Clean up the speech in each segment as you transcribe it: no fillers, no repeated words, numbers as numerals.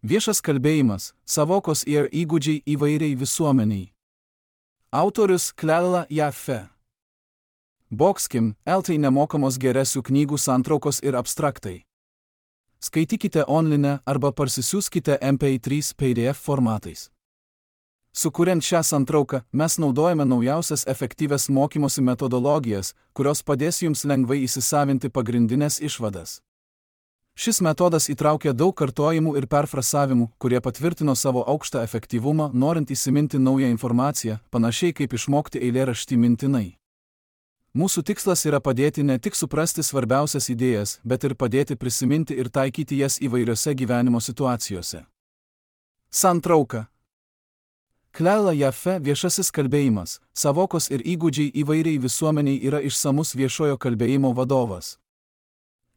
Viešas kalbėjimas, savokos ir įgūdžiai įvairiai visuomeniai. Autorius Klella Jaffe. Boxkim, LT nemokamos geresių knygų santraukos ir abstraktai. Skaitykite online arba parsisiųskite MP3 PDF formatais. Sukuriant šią santrauką, mes naudojame naujausias efektyvias mokymosi metodologijas, kurios padės jums lengvai įsisavinti pagrindinės išvadas. Šis metodas įtraukia daug kartojimų ir perfrasavimų, kurie patvirtino savo aukštą efektyvumą, norint įsiminti naują informaciją, panašiai kaip išmokti eilėraštį mintinai. Mūsų tikslas yra padėti ne tik suprasti svarbiausias idėjas, bet ir padėti prisiminti ir taikyti jas įvairiose gyvenimo situacijose. Santrauka. Klella Jaffe viešasis kalbėjimas, savokos ir įgūdžiai įvairiai visuomeniai yra išsamus viešojo kalbėjimo vadovas.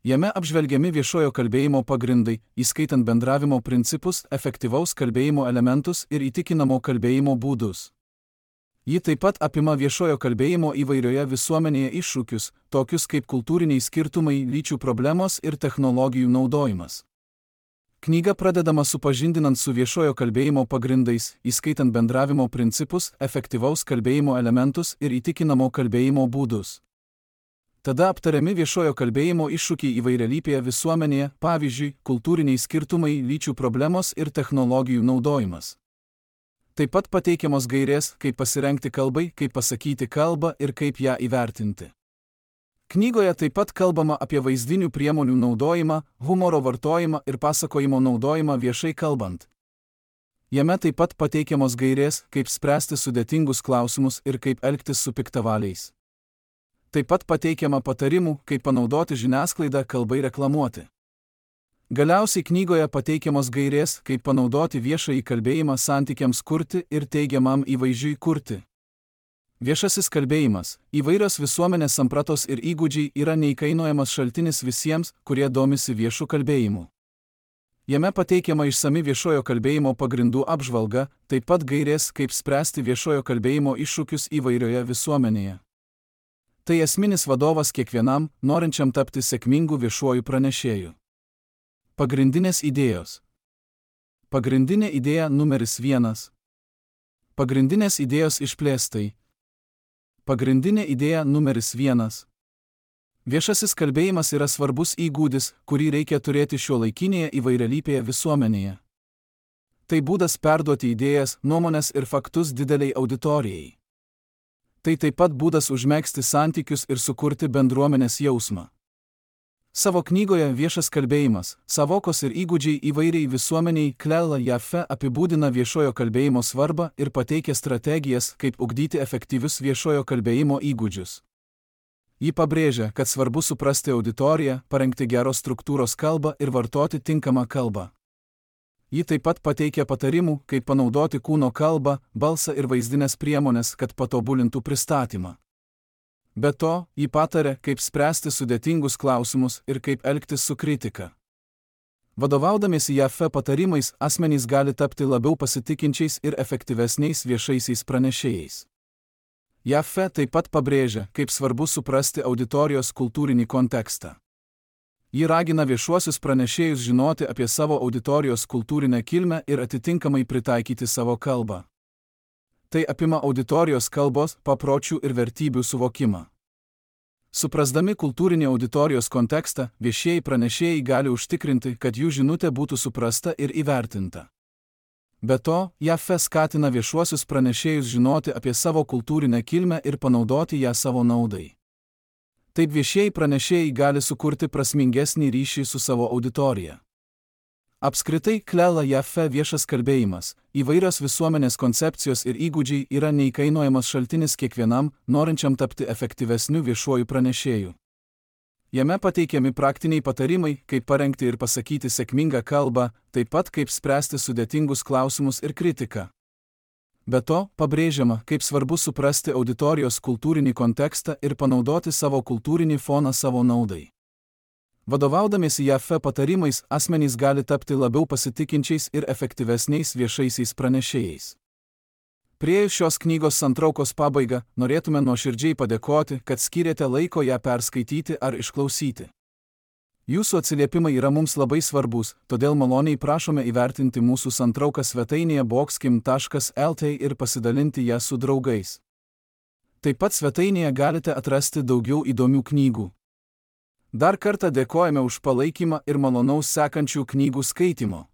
Jame apžvelgiami viešojo kalbėjimo pagrindai, įskaitant bendravimo principus, efektyvaus kalbėjimo elementus ir įtikinamo kalbėjimo būdus. Ji taip pat apima viešojo kalbėjimo įvairioje visuomenėje iššūkius, tokius kaip kultūriniai skirtumai, lyčių problemos ir technologijų naudojimas. Knyga pradedama supažindinant su viešojo kalbėjimo pagrindais, įskaitant bendravimo principus, efektyvaus kalbėjimo elementus ir įtikinamo kalbėjimo būdus. Tada aptariami viešojo kalbėjimo iššūkiai įvairialypėje visuomenėje, pavyzdžiui, kultūriniai skirtumai, lyčių problemos ir technologijų naudojimas. Taip pat pateikiamos gairės, kaip pasirengti kalbai, kaip pasakyti kalbą ir kaip ją įvertinti. Knygoje taip pat kalbama apie vaizdinių priemonių naudojimą, humoro vartojimą ir pasakojimo naudojimą viešai kalbant. Jame taip pat pateikiamos gairės, kaip spręsti sudėtingus klausimus ir kaip elgtis su piktavaliais. Taip pat pateikiama patarimų, kaip panaudoti žiniasklaidą kalbai reklamuoti. Galiausiai knygoje pateikiamos gairės, kaip panaudoti viešąjį kalbėjimą santykiams kurti ir teigiamam įvaizdžiui kurti. Viešasis kalbėjimas, įvairios visuomenės sampratos ir įgūdžiai yra neįkainojamas šaltinis visiems, kurie domisi viešu kalbėjimu. Jame pateikiama išsami viešojo kalbėjimo pagrindų apžvalga, taip pat gairės, kaip spręsti viešojo kalbėjimo iššūkius įvairioje visuomenėje. Tai esminis vadovas kiekvienam, norinčiam tapti sėkmingu viešuoju pranešėju. Pagrindinės idėjos. Pagrindinė idėja numeris 1. Pagrindinės idėjos išplėstai. Pagrindinė idėja numeris 1. Viešasis kalbėjimas yra svarbus įgūdis, kurį reikia turėti šiuolaikinėje įvairialypėje visuomenėje. Tai būdas perduoti idėjas, nuomones ir faktus dideliai auditorijai. Tai taip pat būdas užmegzti santykius ir sukurti bendruomenės jausmą. Savo knygoje Viešas kalbėjimas, savokos ir įgūdžiai įvairiai visuomeniai Klella Jaffe apibūdina viešojo kalbėjimo svarbą ir pateikia strategijas, kaip ugdyti efektyvius viešojo kalbėjimo įgūdžius. Ji pabrėžia, kad svarbu suprasti auditoriją, parengti geros struktūros kalbą ir vartoti tinkamą kalbą. Ji taip pat pateikia patarimų, kaip panaudoti kūno kalbą, balsą ir vaizdinės priemonės, kad patobulintų pristatymą. Be to, ji patarė, kaip spręsti sudėtingus klausimus ir kaip elgtis su kritika. Vadovaudamiesi Jaffe patarimais, asmenys gali tapti labiau pasitikinčiais ir efektyvesniais viešaisiais pranešėjais. Jaffe taip pat pabrėžia, kaip svarbu suprasti auditorijos kultūrinį kontekstą. Ji ragina viešuosius pranešėjus žinoti apie savo auditorijos kultūrinę kilmę ir atitinkamai pritaikyti savo kalbą. Tai apima auditorijos kalbos, papročių ir vertybių suvokimą. Suprasdami kultūrinį auditorijos kontekstą, viešieji pranešėjai gali užtikrinti, kad jų žinutė būtų suprasta ir įvertinta. Be to, Jaffe skatina viešuosius pranešėjus žinoti apie savo kultūrinę kilmę ir panaudoti ją savo naudai. Taip viešieji pranešėjai gali sukurti prasmingesnį ryšį su savo auditorija. Apskritai, Klella Jaffe viešas kalbėjimas, įvairios visuomenės koncepcijos ir įgūdžiai yra neįkainojamas šaltinis kiekvienam, norinčiam tapti efektyvesniu viešuoju pranešėju. Jame pateikiami praktiniai patarimai, kaip parengti ir pasakyti sėkmingą kalbą, taip pat kaip spręsti sudėtingus klausimus ir kritiką. Be to, pabrėžiama, kaip svarbu suprasti auditorijos kultūrinį kontekstą ir panaudoti savo kultūrinį foną savo naudai. Vadovaudamiesi Jaffe patarimais, asmenys gali tapti labiau pasitikinčiais ir efektyvesniais viešaisiais pranešėjais. Priėjus šios knygos santraukos pabaigą, norėtume nuoširdžiai padėkoti, kad skyrėte laiko ją perskaityti ar išklausyti. Jūsų atsiliepimai yra mums labai svarbus, todėl maloniai prašome įvertinti mūsų santrauką svetainėje boxkim.lt ir pasidalinti ją su draugais. Taip pat svetainėje galite atrasti daugiau įdomių knygų. Dar kartą dėkojame už palaikymą ir malonaus sekančių knygų skaitymo.